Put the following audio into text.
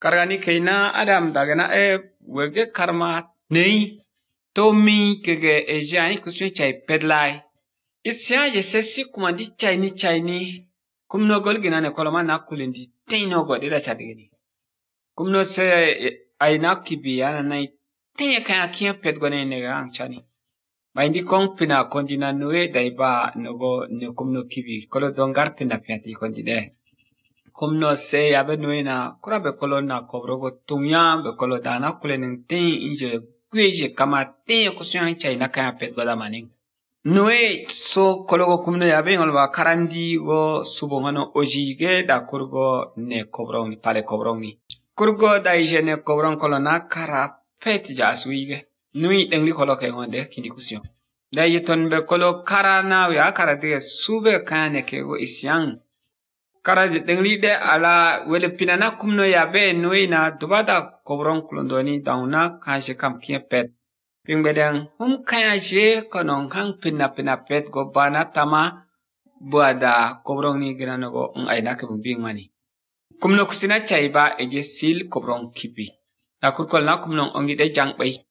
Kargani kaina Adam dagana wege karma nei tomi kege ejani kuswe chai pedlai. Isya je sesi kumandi chai ni kumno golgina ne koloma na kulendi teino godira chadigini. Kumno se aina kibi yana nai tenye kaya kia pet gwane nega angchani. Maindi kong pina kondina nue daiba nogo ne kumno kibi kolo dongar pina piati kondide. Kumno se yabe nue na kura be kolo na kobrogo tunya be kolo dana kulening ten inje kweje kama ten kusyan chai na kaya pet goda maning. Nue so kologo kumno yabe ngolwa karandi go subongano ojige da kurgo ne kobrong ni pale kobrong ni. Kurgo da ije ne kobrong kolo na kara pet jaswige. Nui dengli kolo ke ngonde kindi kusyon. Da ije tonbe kolo kara na ya kara dige sube kane kego isyang. Kara dengli de ala wele pinana kumno yabe nui na dubada kobrong kulondoni dauna kaje kam kia pet. Pingbedeng kaya je konong kang pina pet go bana tama buada kobrong ni ginano go aina ke bumbing mani. Kumno kusina chaiba eje sil kobrong kipi. Na kurkol na kumnong ongi de jang bay.